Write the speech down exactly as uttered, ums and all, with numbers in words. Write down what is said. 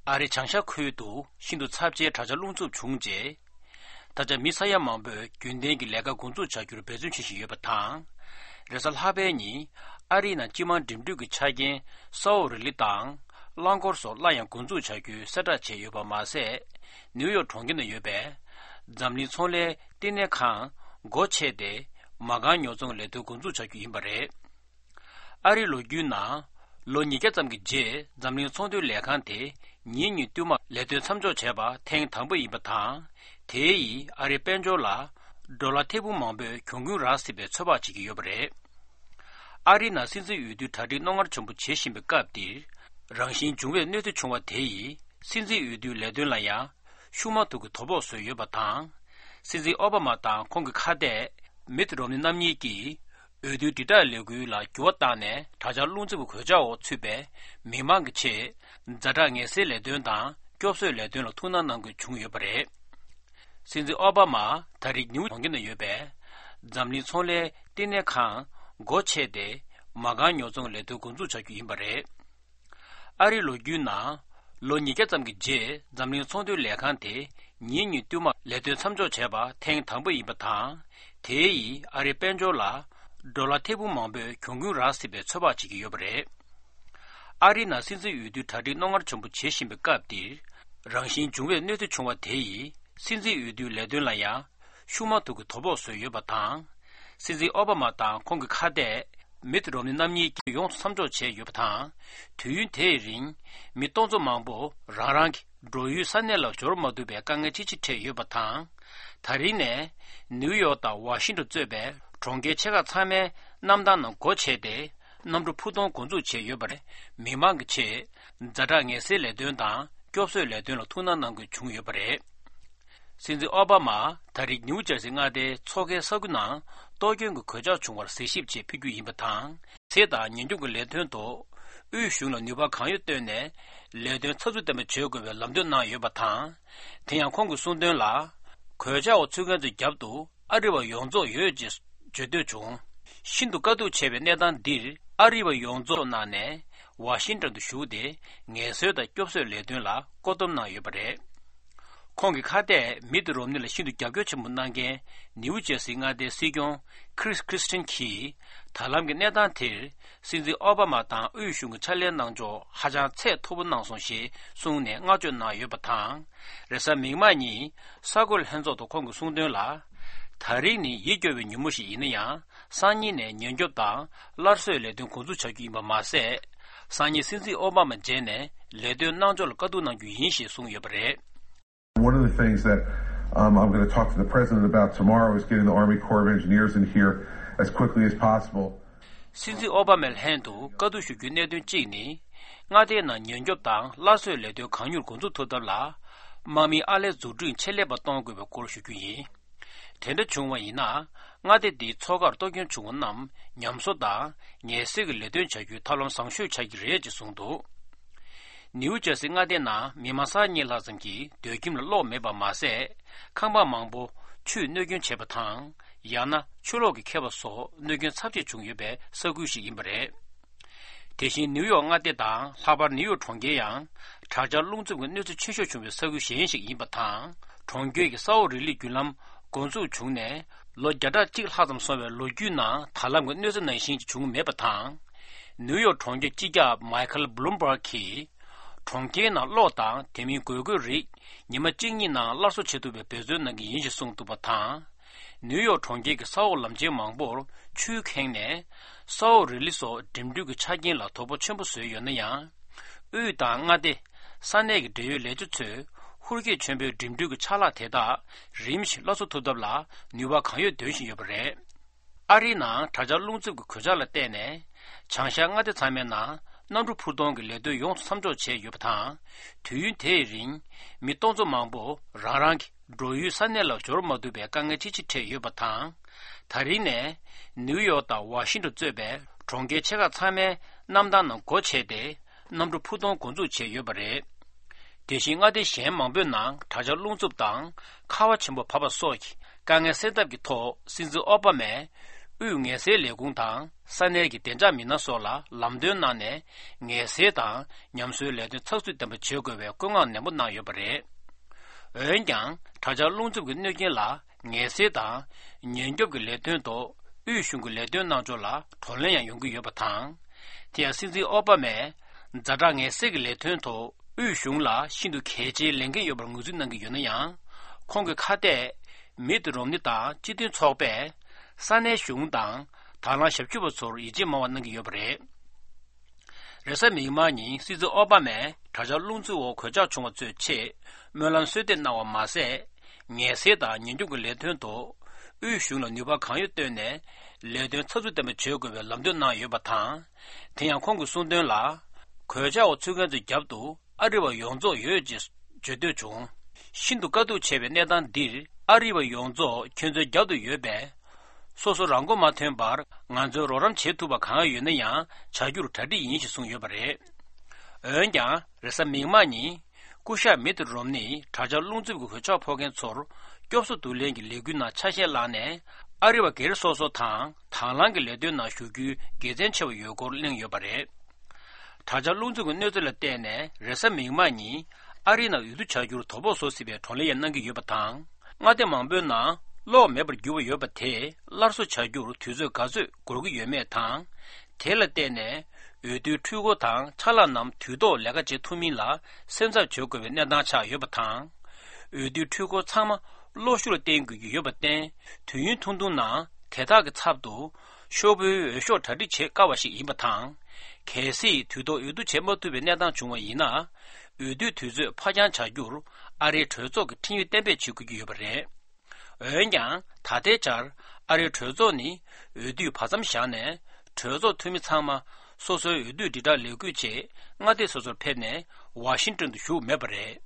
ཨ་རིའི་བྱང་ཤར་ཁུལ་དུ་ཤིན་ཏུ་ཚབས་ཆེའི་དྲག་ཆར་རླུང་འཚུབ་བྱུང་རྗེས། ད་ཆ་མི་ས་ཡ་མང་པོས་རྒྱུན་ལྡན་གྱི་ལས་ཀ་འགོ་འཛུགས་བྱ་རྒྱུར་འབད་བརྩོན་བྱེད་བཞིན་ཡོད་པ་དང་། རེས་གཟའ་ལྷག་པའི་ཉིན་ཨ་རིའི་ནང་སྤྱི་དམངས་འགྲིམ་འགྲུལ་གྱི་ཆ་རྐྱེན་སའོ་རི་ལི་དང་རླངས་འཁོར་སོགས་སླར་ཡང་འགོ་འཛུགས་བྱ་རྒྱུའི་གསལ་བསྒྲགས་བྱས་ཡོད་པ་མ་ཟད། ནིའུ་ཡོག་གྲོང་ཁྱེར་ན་ཡོད་པའི་འཛམ་གླིང་ཚོང་ལས་བསྟི་གནས་ཁང་སྒོ་ཕྱེ་སྟེ་མ་རྐང་ཉོ་ཚོང་ལས་དོན་འགོ་འཛུགས་བྱ་རྒྱུ་ཡིན་པ་རེད། ཨ་རིའི་ལོ་རྒྱུས་ནང་ལོ་ཉིས་བརྒྱ་ཙམ་གྱི་རྗེས་འཛམ་གླིང་ཚོང་དོན་ལས་ཁང་དེ་ཉིན་གཉིས་བསྟུད་མར་ལས་དོན་མཚམས་འཇོག་བྱས་པ་ཐེངས་དང་པོ་ཡིན་པ་དང་། དེ་ཡིས་ཨ་རིའི་དཔལ་འབྱོར་ལ་ཌོ་ལར་ཐེར་འབུམ་མང་པོའི་གྱོང་གུན་རག་སྲིད་པའི་ཚོད་དཔག་བྱེད་ཀྱི་ཡོད་པ་རེད། ཨ་རིའི་ནང་སྲིད་འཛིན་འོས་བསྡུའི་གྲ་སྒྲིག་རྣོ་ངར་ཆེན་པོ་བྱེད་བཞིན་པའི་སྐབས་འདིར། རང་བཞིན་འབྱུང་བའི་གནོད་འཚེ་བྱུང་བ་དེ་ཡིས་སྲིད་འཛིན་འོས་བསྡུའི་ལས་དོན་ལ་ཡང་ཤུགས་མ་ཐུག་གི་དོ་ཕོག་བཟོས་ཡོད་པ་དང་། སྲིད་འཛིན་ཨོ་བྷ་མ་དང་ཁོང་གི་ཁ་གཏད་མིད་རོམ་ནི་རྣམ་གཉིས་ཀྱིས། འོས་བསྡུའི་དྲིལ་བསྒྲགས་ལས་འགུལ་ལ་འགྱུར་བ་བཏང་ནས་དྲག་ཆར་རླུང་འཚུབ་ཀྱི་གོད་ཆག་འོག་ཚུད་པའི་མི་མང་གི་ཆེད། ཛ་དྲག་ངལ་སེལ་ལས་དོན་དང་སྐྱོབ་གསོའི་ལས་དོན་ལ་ཐུགས་སྣང་གནང་དགོས་བྱུང་ཡོད་པ་རེད། སྲིད་འཛིན་ཨོ་བྷ་མ་ད་རེས་ནིའུ་གྲོང་ཁྱེར་ན་ཡོད་པའི་འཛམ་གླིང་ཚོང་ལས་བསྟི་གནས་ཁང་སྒོ་ཕྱེ་སྟེ་མ་རྐང་ཉོ་ཚོང་ལས་དོན་འགོ་འཛུགས་བྱ་རྒྱུ་ཡིན་པ་རེད། ཨ་རིའི་ལོ་རྒྱུས་ནང་ལོ་ཉིས་བརྒྱ་ཙམ་གྱི་རྗེས་འཛམ་གླིང་ཚོང་དོན་ལས་ཁང་དེ་ཉིན་གཉིས་བསྟུད་མར་ལས་དོན་མཚམས་འཇོག་བྱས་པ་ཐེངས་དང་པོ་ཡིན་པ་དང་། དེ་ཡིས་ཨ་རིའི་དཔལ་འབྱོར་ལ་ཌོ་ལར་ཐེར་འབུམ་མང་པོའི་གྱོང་གུན་རག་སྲིད་པའི་ཚོད་དཔག་བྱེད་ཀྱི་ཡོད་པ་རེད། ཨ་རིའི་ནང་སྲིད་འཛིན་འོས་བསྡུའི་གྲ་སྒྲིག་རྣོ་ངར་ཆེན་པོ་བྱེད་བཞིན་པའི་སྐབས་འདིར། རང་བཞིན་འབྱུང་བའི་གནོད་འཚེ་བྱུང་བ་དེ་ཡིས་སྲིད་འཛིན་འོས་བསྡུའི་ལས་དོན་ལ་ཡང་ཤུགས་མ་ཐུག་གི་དོ་ཕོག་བཟོས་ཡོད་པ་དང་། སྲིད་འཛིན་ཨོ་བྷ་མ་དང་ཁོང་གི་ཁ་གཏད་མིད་རོམ་ནི་རྣམ་གཉིས་ཀྱིས་ཡོངས་སུ་མཚམས་འཇོག་བྱས་ཡོད་པ་དང་། དུས་ཡུན་དེའི་རིང་མི་སྟོང་ཚོ་མང་པོ་རང་རང་གི་འགྲོ་ཡུལ་ས་གནས་ལ་འབྱོར་མ་ཐུབ་པའི་དཀའ་ངལ་ཅི་ཆེ་འཕྲད་ཡོད་པ་དང་། ད་རིང་ནས་ནིའུ་ཡོག་དང་ཝ་ཤིང་ཊོན་གཙོས་པའི་གྲོང་ཁྱེར་ཆེ་ཁག་ཚང་མའི་གནམ་ཐང་ནང་སྒོ་ཕྱེ་སྟེ། གནམ་གྲུ་ཕུ་ཐོན་འགོ་འཛུགས་བྱས་ཡོད་པ་རེད། མི་མང་གི་ཆེད་ཛ་དྲག་ངལ་སེལ་ལས་དོན་དང་སྐྱོབ་གསོའི་ལས་དོན་ལ་ཐུགས་སྣང་གནང་དགོས་བྱུང་ཡོད་པ་རེད། སྲིད་འཛིན་ཨོ་བྷ་མ་ད་རེས་ནིའུ་ཇར་སི་མངའ་སྡེའི་མཚོ་ཁའི་ས་ཁུལ་ནང་གཏོར་སྐྱོན་གྱི་གོད་ཆག་བྱུང་བར་གཟིགས་ཞིབ་ཆེད་ཕེབས་རྒྱུ་ཡིན་པ་དང་། ཚེ་དང་ཉེན་སྐྱོབ་ཀྱི་ལས་དོན་ཐོག་དབུས་གཞུང་ལ་ནུས་པ་གང་ཡོད་བཏོན་ནས་ལས་དོན་ཚགས་ཚུད་ལྡན་པ་བྱེད་དགོས་པའི་ལམ་སྟོན་གནང་ཡོད་པ་དང་། དེ་ཡང་ཁོང་གིས་གསུངས་དོན་ལ། གོད་ཆག་འོག་ཚུད་མཁན་ཚོའི་རྒྱབ་ཏུ་ཨ་རི་བ་ཡོངས་རྫོགས་ཡོད་ཅེས་བརྗོད་འདོད་བྱུང་། ཤིན་ཏུ་དཀའ་སྡུག་ཆེ་བའི་གནས་སྟངས་འདིར་ཨ་རི་བ་ཡོངས་རྫོགས་གནང་ནས་ཝ་ཤིང་ཊོན་དུ་བཞུགས་ཏེ་ངལ་གསོའི་དང་སྐྱོབ་གསོའི་ལས་དོན་ལ་བཀོད་འདོམས་གནང་ཡོད་པ་རེད། ཁོང་གི་ཁ་གཏད་མིད་རོམ་ནི་ལ་ཤིན་ཏུ་རྒྱབ་སྐྱོར་ཆེན་པོ་གནང་མཁན་ནིའུ་ཇར་སི་མངའ་སྡེའི་སྲིད་སྐྱོང་ཁི་རིས་ཁི་རིས་ཊིན་གྱིས་ད་ལམ་གྱི་གནས་སྟངས་དེར། སྲིད་འཛིན་ཨོ་བྷ་མ་དང་དབུས་གཞུང་གི་ཕྱག་ལས་གནང་ཕྱོགས་ཧ་ཅང་ཚད་མཐོ་པོ་གནང་སོང་ཞེས་གསུངས་ནས་བསྔགས་བརྗོད་གནང་ཡོད་པ་དང་། རེས་གཟའ་མིག་དམར་ཉིན་གསར་འགོད་ལྷན་ཚོགས་ཐོག་ཁོང་གིས་གསུངས་དོན་ལ། ད་རེས་ནི་ཡིད་སྐྱོ་བའི་ཉིན་མོ་ཞིག་ཡིན་ན་ཡང་སང་ཉིན་ནས་ཉེན་སྐྱོབ་དང་སླར་གསོའི་ལས་དོན་འགོ་འཛུགས་བྱ་རྒྱུ་ཡིན་པ་མ་ཟད། སང་ཉིན་སྲིད་འཛིན་ཨོ་བྷ་མ་མཇལ་ནས་ལས་དོན་གནང་ཕྱོགས་ལ་བཀའ་བསྡུར་གནང་རྒྱུ་ཡིན་ཞེས་གསུངས་ཡོད་པ་རེད། One of the things that um, I'm going to talk to the president about tomorrow is getting the Army Corps of Engineers in here as quickly as possible. སྲིད་འཛིན་ཨོ་བྷ་མའི་ལྷན་དུ་བཀའ་བསྡུར་ཞུ་རྒྱུའི་གནད་དོན་གཅིག་ནི། མངའ་སྡེའི་ནང་ཉེན་སྐྱོབ་དང་སླར་གསོའི་ལས་དོན་གང་མྱུར་འགོ་འཛུགས་ཐུབ་ཐབས་ལ། དམག་མིའི་ཨར་ལས་འཛུགས་སྐྲུན་ཆེད་ལས་པ་གཏོང་དགོས་པའི་སྐོར་ཞུ་རྒྱུ་ཡིན། དེ་འདྲ་བྱུང་བ་ཡིན་ན། མངའ་སྡེ་འདིའི་མཚོ་ཁར་གཏོར་སྐྱོན་བྱུང་བ་རྣམས་ཉམས་གསོ་དང་ངལ་སེལ་གྱི་ལས་དོན་བྱ་རྒྱུའི་ཐབས་ལམ་བཟང་ཤོས་ཆགས་ཀྱི་རེད་ཅེས་གསུངས་འདུག་ནིའུ་ཇར་སི་མངའ་སྡེ་ནང་མི་མང་ས་གཉིས་ལྷག་ཙམ་གྱིས་སྡོད་ཁྱིམ་ལ་གློག་མེད་པ་མ་ཟད། ཁང་པ་མང་པོ་ཆུས་གནོད་སྐྱོན་བྱས་པ་དང་། ཡང་ན་ཆུ་ལོག་གིས་ཁེབས་པ་སོགས་གནོད་སྐྱོན་ཚབས་ཆེ་བྱུང་ཡོད་པའི་ས་ཁུལ་ཞིག་ཡིན་པ་རེད། དེ་བཞིན་ནིའུ་ཡོག་མངའ་སྡེ་དང་ལྷག་པར་ནིའུ་ཡོག་གྲོང་ཁྱེར་ཡང་དྲག་ཆར་རླུང་འཚུབ་ཀྱི་གནོད་འཚེ་ཆེ་ཤོས་བྱུང་བའི་ས་ཁུལ་གཞན་ཞིག་ཡིན་པ་དང་། གྲོང་ཁྱེར་གྱི་སའོ་རི་ལི་བརྒྱུད་ལམ་འགོ་འཛུགས་བྱུང་ནས་ལོ་བརྒྱ་ཕྲག་གཅིག་ལྷག་ཙམ་སོང་བའི་ལོ་རྒྱུས་ནང་ད་ལམ་གྱི་གནོད་འཚེ་ནང་བཞིན་གྱི་བྱུང་མེད་པ་དང་། ནིའུ་ཡོག་གྲོང་ཁྱེར་སྤྱི་ཁྱབ་མའི་ཁལ་བྷ་ལུམ་བྷག་གིས། གྲོང་ཁྱེར་ནང་གློག་དང་དེ་མིན་དགོས་མཁོའི་རིགས་ཉི་མ་གཅིག་གཉིས་ནང་སླར་གསོ་བྱེད་ཐུབ་པའི་འབད་བརྩོན་གནང་གི་ཡིན་ཞེས་གསུངས་འདུག་པ་དང་། ནིའུ་ཡོག་གྲོང་ཁྱེར་གྱི་ས་འོག་ལམ་ཆེན་མང་པོར་ཆུས་ཁེངས་ནས། སའོ་རི་ལི་སོགས་འགྲིམ་འགྲུལ་གྱི་ཆ་རྐྱེན་ལ་དོ་ཕོག་ཆེན་པོ་བཟོས་ཡོད་ན་ཡང་། དབུས་དང་མངའ་སྡེ། ས་གནས་ཀྱི་འབྲེལ་ཡོད་ལས་བྱེད་ཚོས་ཧུར་སྐྱེད་ཆེན་པོས་འགྲིམ་འགྲུལ་གྱི་ཆ་ལག་དེ་དག་རིམ་བཞིན་སླར་གསོ་ཐུབ་ཐབས་ལ་ནུས་པ་གང་ཡོད་འདོན་བཞིན་ཡོད་པ་རེད། ཨ་རིའི་ནང་དྲག་ཆར་རླུང་འཚུབ་ཀྱི་གོད་ཆག་ལ་བརྟེན་ནས། བྱང་ཤར་མངའ་སྡེ་ཚང་མའི་ནང་གནམ་གྲུ་འཕུར་གཏོང་གི་ལས་དོན་ཡོངས་སུ་མཚམས་འཇོག་བྱས་ཡོད་པ་དང་། དུས་ཡུན་དེའི་རིང་མི་སྟོང་ཚོ་མང་པོ་རང་རང་གི་འགྲོ་ཡུལ་ས་གནས་ལ་འབྱོར་མ་ཐུབ་པའི་དཀའ་ངལ་ཅི་ཆེ་འཕྲད་ཡོད་པ་དང་། ད་རིང་ནས་ནིའུ་ཡོག་དང་ཝ་ཤིང་ཊོན་གཙོས་པའི་གྲོང་ཁྱེར་ཆེ་ཁག་ཚང་མའི་གནམ་ཐང་ནང་སྒོ་ཕྱེ་སྟེ། གནམ་གྲུ་འཕུར་གཏོང་འགོ་འཛུགས་བྱས་ཡོད་པ་རེད། དེ་བཞིན་མངའ་སྡེ་གཞན་མང་པོའི་ནང་དྲག་ཆར་རླུང་འཚུབ་དང་ཁ་བ་ཆེན་པོ་བབས་པ་སོགས་ཀྱི་དཀའ་ངལ་སེལ་ཐབས་ཀྱི་ཐོག་སྲིད་འཛིན་ཨོ་པ་མས་ དབུས་ངལ་སེལ་ལས་ཁུངས་དང་ས་གནས་ཀྱི་བདེ་འཇགས་མི་སྣ་སོགས་ལ་ལམ་སྟོན་གནང་ནས། ངལ་སེལ་དང་ཉམས་གསོའི་ལས་དོན་ཚགས་ཚུད་ལྡན་པ་བྱེད་དགོས་པའི་བཀོད་མངགས་ནན་པོ་གནང་ཡོད་པ་རེད། འོན་ཀྱང་། དྲག་ཆར་རླུང་འཚུབ་ཀྱི་གནོད་རྐྱེན་ལ་ངལ་སེལ་དང་ཉེན་སྐྱོབ་ཀྱི་ལས་དོན་ཐོག་དབུས་གཞུང་གི་ལས་དོན་གནང་ཕྱོགས་ལ་བགྲོ་གླེང་ཡང་ཡོང་གི་ཡོད་པ་དང་། དེ་ཡང་སྲིད་འཛིན་ཨོ་པ་མས་ཛ་དྲག་ངལ་སེལ་གྱི་ལས་དོན་ཐོག་དབུས་གཞུང་ལ་ཤིན་ཏུ་གལ་ཆེའི་ལས་འགན་ཡོད་པར་ངོས་འཛིན་གནང་གི་ཡོད་ན་ཡང་། ཁོང་གི་ཁ་གཏད་མིད་རོམ་ནི་དང་སྤྱི་མཐུན་ཚོགས་པས་ས་གནས་གཞུང་དང་དང་བླངས་ཞབས་ཞུ་བ་ཚོར་ཡིད་ཆེས་མང་བ་གནང་གི་ཡོད་པ་རེད། རེས་གཟའ་མིག་དམར་ཉིན་སྲིད་འཛིན་ཨོ་པ་མས་དྲག་ཆར་རླུང་འཚུབ་འོག་གོད་ཆག་བྱུང་བ་ཚོའི་ཆེད་སྨོན་ལམ་གསོལ་འདེབས་གནང་བ་མ་ཟད། ངལ་སེལ་དང་ཉེན་སྐྱོབ་ཀྱི་ལས་དོན་ཐོག་དབུས་གཞུང་ལ་ནུས་པ་གང་ཡོད་བཏོན་ནས་ལས་དོན་ཚགས་ཚུད་ལྡན་པ་བྱེད་དགོས་པའི་ལམ་སྟོན་གནང་ཡོད་པ་དང་། དེ་ཡང་ཁོང་གིས་གསུངས་དོན་ལ། གོད་ཆག་འོག་ཚུད་མཁན་ཚོའི་རྒྱབ་ཏུ་ཨ་རི་བ་ཡོངས་རྫོགས་ཡོད་ཅེས་བརྗོད་འདོད་བྱུང་། ཤིན་ཏུ་དཀའ་སྡུག་ཆེ་བའི་གནས་སྟངས་འདིར་ཨ་རི་བ་ཡོངས་རྫོགས་ཁྱོད་ཚོའི་རྒྱབ་ཏུ་ཡོད་པས། སོ་སོ་རང་མགོ་མ་ཐོན་པར་ང་ཚོས་རོགས་རམ་བྱེད་ཐུབ་པ་གང་ཡོད་ན་ཡང་བྱ་རྒྱུར་གྲ་སྒྲིག་ཡིན་ཞེས་གསུངས་ཡོད་པ་རེད། འོན་ཀྱང་རེས་གཟའ་མིག་དམར་ཉིན་སྐུ་ཞབས་མིད་རོམ་ནི་དྲག་ཆར་རླུང་འཚུབ་ཀྱི་གོད་ཆག་ཕོག་མཁན་ཚོར་སྐྱོབ་གསོ་བསྡུ་ལེན་གྱི་ལས་འགུལ་ནང་ཆ་ཤས་བླངས་ནས་ཨ་རི་བ་སྒེར་སོ་སོ་དང་དང་བླངས་ཀྱི་ལས་དོན་ནང་ཞུགས་རྒྱུའི་དགེ་མཚན་ཆེ་བ་ཡོད་སྐོར་གླེང་ཡོད་པ་རེད། དྲག་ཆར་རླུང་འཚུབ་ཀྱི་གནོད་འཚེ་ལ་བརྟེན་ནས་རེས་གཟའ་མིག་དམར་ཉིན་ཨ་རིའི་ནང་འོས་བསྡུ་བྱ་རྒྱུར་དོ་ཕོག་བཟོ་སྲིད་པའི་བགྲོ་གླེང་ཡང་གནང་གི་ཡོད་པ་དང་། མངའ་སྡེ་མང་པོའི་ནང་གློག་མེད་པར་གྱུར་བ་ཡོད་པ་དེ་སླར་གསོ་བྱ་རྒྱུར་དུས་ཚོད་ག་ཚོད་འགོར་གྱི་ཡོད་མེད་དང་། དེ་ལ་བརྟེན་ནས་འོས་བསྡུའི་འཕྲུལ་འཁོར་དང་ཕྱག་ལས་རྣམས་དུས་ཐོག་ལས་ཀ་བྱེད་ཐུབ་མིན་ལ་སེམས་འཚབ་བྱེད་དགོས་པའི་གནས་སྟངས་ཆགས་ཡོད་པ་དང་། འོས་བསྡུའི་འཕྲུལ་འཁོར་ཚང་མ་གློག་ཤུགས་ལ་བརྟེན་དགོས་ཀྱི་ཡོད་པར་བརྟེན། དུས་ཡུན་ཐུང་ཐུང་ནང་དེ་དག་གི་ཚབ་ཏུ། ཤོག་བུའི་འོས་ཤོག་གྲ་སྒྲིག་བྱེད་དཀའ་བ་ཞིག་ཡིན་པ་དང་། གལ་སྲིད་དུས་ཐོག་འོས་བསྡུ་བྱེད་མ་ཐུབ་པའི་གནས་སྟངས་བྱུང་བ་ཡིན་ན། འོས་བསྡུའི་དུས་ཚོད་ཕར་འགྱངས་བྱ་རྒྱུར་ཨ་རིའི་གྲོས་ཚོགས་ཀྱི་འཕྲིན་ཡིག་གཏན་འབེབས་བྱེད་དགོས་ཀྱི་ཡོད་པ་རེད། འོན་ཀྱང་ད་ལྟའི་ཆར་ཨ་རིའི་གྲོས་ཚོགས་ནི་འོས་བསྡུའི་བར་མཚམས་བཞག་ནས་གྲོས་ཚོགས་འཐུས་མི་ཚང་མ་སོ་སོའི་འོས་བསྡུའི་དྲིལ་བསྒྲགས་ལས་འགུལ་ཆེད་མངའ་སྡེ་སོ་སོར་ཕེབས་ནས་ཝ་ཤིང་ཏོན་དུ་བཞུགས་མེད་པ་རེད།